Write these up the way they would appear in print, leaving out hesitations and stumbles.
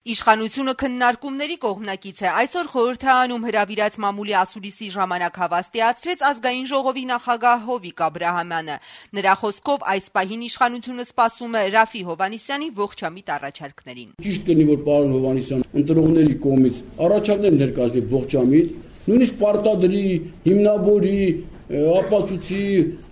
Իշխանությունը քննարկումների կողմնակից է այսօր խորհրդարանում հրավիրած մամուլի ասուլիսի ժամանակ հավաստիացրեց ազգային ժողովի նախագահ Հովիկ Աբրահամյանը։ Նրա խոսքով այս պահին իշխանությունը սպասում է Ռաֆի Հովհաննիսյանի ողջամիտ առաջարկներին։ Ճիշտ կլինի, որ պարոն Հովհաննիսյան ընտրողների կողմից առաջարկներ ներկայացնի ողջամիտ, նույնիսկ պարտադրի, հիմնավորի, ապացուցի,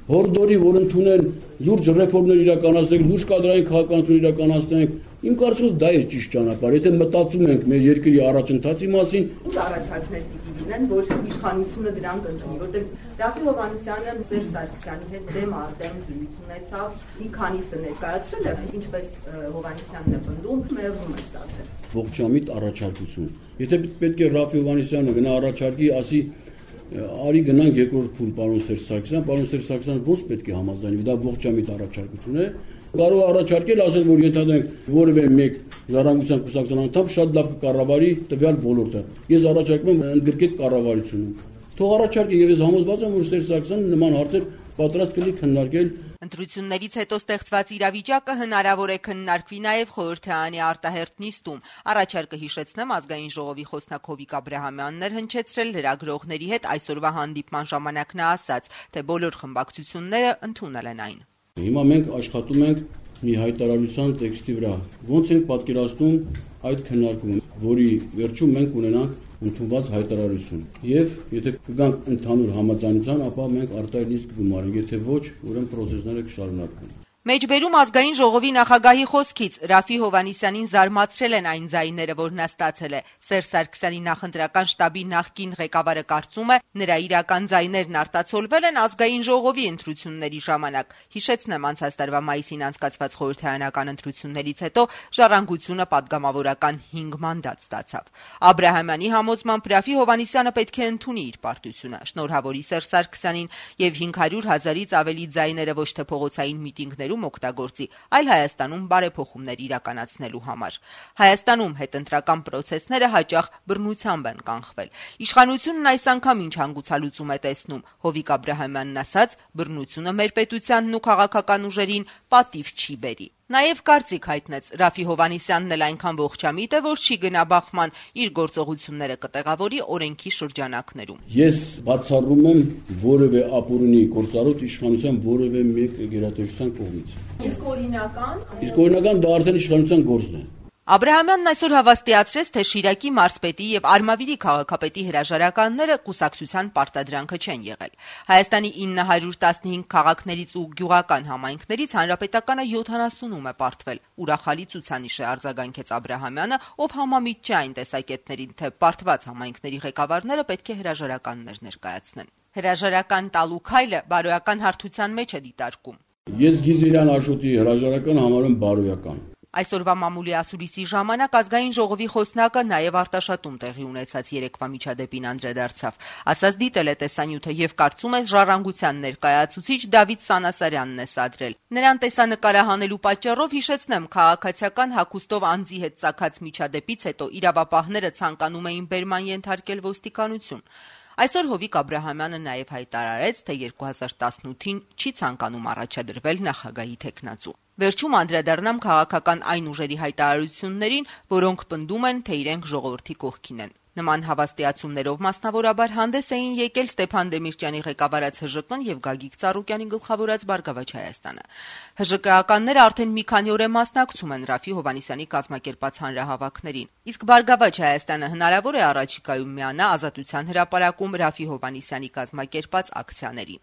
հորդորի, որ ընդունեն լուրջ ռեֆորմներ իրականացնենք, լուրջ կադրային քաղաքականություն իրականացնենք։ Իմ կարծիքով դա է ճիշտ ճանապարհը, եթե մտածում ենք մեր երկրի առաջընթացի մասին։ Ինչ առաջարկներ պիտի լինեն, որ իշխանությունը դրանք ընդունի, որտեղ Ռաֆի Հովհաննիսյանը Սերժ Սարգսյանի հետ դեմ արդեն զրույց ունեցավ, մի քանիսը ներկայացրել է, ինչպես Հովհաննիսյանն է պնդում, մերժում է ստացել։ Ողջամիտ առաջարկություն։ Եթե պետք է Ռաֆի Հովհաննիսյանը գնա առաջարկի, ասի արի գնանք երկրորդ փուլ պարոն Սերժ Սարգսյան ոնց պետք է համաձայնվի, դա ողջամիտ առաջարկություն է։ Կարող առաջարկել ասել, որ ենթադրենք որևէ մեկ ժառանգության կուսակցության անդամ շատ լավ կկառավարի տվյալ ոլորտը։ Ես առաջարկում եմ ընդգրկել կառավարությունը։ Թող առաջարկի եւ ես համոզված եմ, որ Սերժ Սարգսյանը նման հարցեր պատրաստ կլինի քննարկել։ Ընտրություններից հետո ստեղծված իրավիճակը հնարավոր է քննարկվի նաև խորհրդարանի արտահերթ նիստում։ Առաջարկը հիշեցնեմ ազգային ժողովի խոսնակ Հովիկ Աբրահամյանն էր հնչեցրել լրագրողների հետ այսօրվա հանդիպման ժամանակ նա ասաց, թե բոլոր խմբակցությունները ընդունել են այն։ Հիմա մենք աշխատում ենք մի հայտարարության տեքստի վրա։ Ոնց ենք պատկերացնում այդ քննարկումը, որի վերջում մենք ունենանք ընդունված հայտարարություն։ Եվ եթե կգանք ընդհանուր համաձայնության, ապա մենք արտահերթ նիստ կգումարենք, եթե ոչ, ուրեմն process-ները կշարունակվեն։ Մեջբերում ազգային ժողովի նախագահի խոսքից Ռաֆի Հովհաննիսյանին զարմացրել են այն ձայները, որ նա ստացել է։ Սերժ Սարգսյանի նախընտրական շտաբի նախկին ղեկավարը կարծում է, նրա իրական ձայներն արտացոլվել են ազգային ժողովի ընտրությունների ժամանակ։ Հիշեցնեմ, անցած տարվա մայիսին անցկացված խորհրդարանական ընտրություններից հետո Ժառանգությունը պատգամավորական 5 մանդատ ստացավ։ Աբրահամյանի համոզմամբ Ռաֆի Հովհաննիսյանը պետք է ընդունի իր պարտությունը, շնորհավորի Սերժ Սարգսյանին եւ 500,000-ից ավելի ձայները ոչ թե փողոցային միտինգներում օգտագործի, այլ Հայաստանում բարեփոխումներ իրականացնելու համար։ Հայաստանում հետընտրական process-ները հաճախ բռնությամբ են կանխվել։ Իշխանությունն այս անգամ ինչ հանգուցալուծում է տեսնում։ Հովիկ Աբրահամյանն ասաց, բռնությունը մեր պետությանն ու քաղաքական ուժերին պատիվ չի բերի։ Նաև կարծիք հայտնեց Ռաֆի Հովհաննիսյանն էլ այնքան ողջամիտ է, որ չի գնա բախման, իր գործողությունները կտեղավորի օրենքի շրջանակներում։ Ես բացառում եմ որևէ ապօրինի գործառույթ իշխանության որևէ մեկ գերատեսչության կողմից։ Իսկ օրինական դա արդեն իշխանության գործն է։ Աբրահամյանն այսօր հավաստիացրեց, թե Շիրակի մարզպետի եւ Արմավիրի քաղաքապետի հրաժարականները կուսակցության պարտադրանքը չեն եղել։ Հայաստանի 915 քաղաքներից ու գյուղական համայնքներից հանրապետականը 70-ում է պարտվել։ Ուրախալի ցուցանիշ է, արձագանքեց Աբրահամյանը, ով համամիտ չէ այն տեսակետներին, թե պարտված համայնքների ղեկավարները պետք է հրաժարականներ ներկայացնեն։ Հրաժարական տալու քայլը բարոյական հարթության մեջ է դիտարկում։ Ես Գիզիրյան Աշոտի հրաժարական համարում բարոյական։ Այսօրվա մամուլի ասուլիսի ժամանակ ազգային ժողովի խոսնակը նաև Արտաշատում տեղի ունեցած երեկվա միջադեպին անդրադարձավ։ Ասաց դիտել է տեսանյութը եւ կարծում է Ժառանգության ներկայացուցիչ Դավիթ Սանասարյանն է սադրել։ Նրան տեսանկարահանելու պատճառով հիշեցնեմ, քաղաքացիական հագուստով անձի հետ ծագած միջադեպից հետո իրավապահները ցանկանում էին բերման ենթարկել ոստիկանություն։ Այսօր Հովիկ Աբրահամյանը նաև հայտարարեց, թե 2018-ին չի ցանկանում առաջադրվել նախագահի թեկնածու։ Վերջում անդրադառնամ քաղաքական այն ուժերի հայտարարություններին, որոնք պնդում են, թե իրենք ժողովրդի կողքին են։ Նման հավաստիացումներով մասնավորաբար հանդես էին եկել Ստեփան Դեմիրճյանի ղեկավարած ՀԺԿ-ն եւ Գագիկ Ծառուկյանի գլխավորած Բարգավաճ Հայաստանը։ ՀԺԿ-ականները արդեն մի քանի օր է մասնակցում են Ռաֆի Հովհաննիսյանի կազմակերպած հանրահավաքներին։ Իսկ Բարգավաճ Հայաստանը հնարավոր է առաջիկայում միանա Ազատության հրապարակում Ռաֆի Հովհաննիսյանի կազմակերպած ակցիաներին։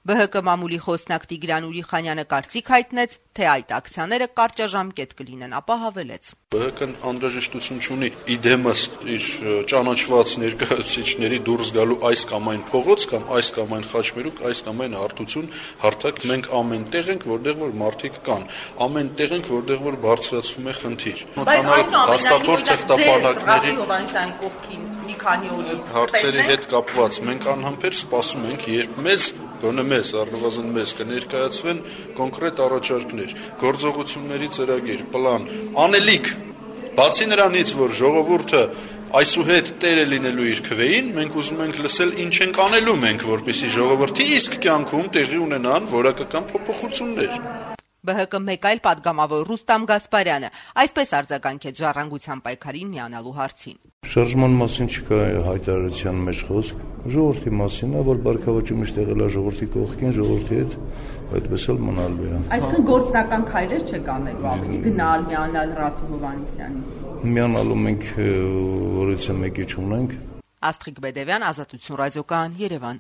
ԲՀԿ մամուլի խոսնակ Տիգրան Ուրիխանյանը կարծիք հայտնեց, թե այդ ակցիաները կարճաժամկետ կլինեն, ապա հավելեց. ԲՀԿ-ն անհրաժեշտություն չունի իդեմս իր ճանաչված ներկայացուցիչների դուրս գալու այս կամ այն փողոց կամ այս կամ այն խաչմերուկ, այս կամ այն հարթություն հարթակ։ Մենք ամեն տեղ ենք, որտեղ որ մարդիկ կան, ամեն տեղ ենք, որտեղ որ բարձրացվում է խնդիր։ Հաստատորդ թղթապանակների մի քանի օրից հարցերի հետ կապված մենք անհամբեր սպասում ենք, երբ գոնե մեզ, առնվազն մեզ կներկայացվեն կոնկրետ առաջարկներ, գործողությունների ծրագիր, պլան, անելիք։ Բացի նրանից, որ ժողովուրդը այսուհետ տեր է լինելու իր քվեին, մենք ուզում ենք լսել ինչ ենք անելու մենք, որպեսզի ժողովրդի իսկ կյանքում տեղի ունենան որակական փոփոխություններ։ ԲՀԿ մեկ այլ падգամավոր Ռուստամ Գասպարյանը այսպես արձագանքեց Ժառանգության պայքարին միանալու հարցին. Շարժման մասին չկա հայտարարության մեջ խոսք, ժողովրդի մասին է, որ բարգավաճը միշտ եղել է ժողովրդի կողքին, ժողովրդի հետ այդպես էլ մնալու է։ Այսինքն գործնական քայլեր չեք անելու ավելի գնալ, միանալ Ռաֆիկ Հովհաննիսյանին։ Միանալու մենք որից մեկի չունենք։ Աստղիկ Բեդևյան, Ազատություն ռադիոկայան, Երևան։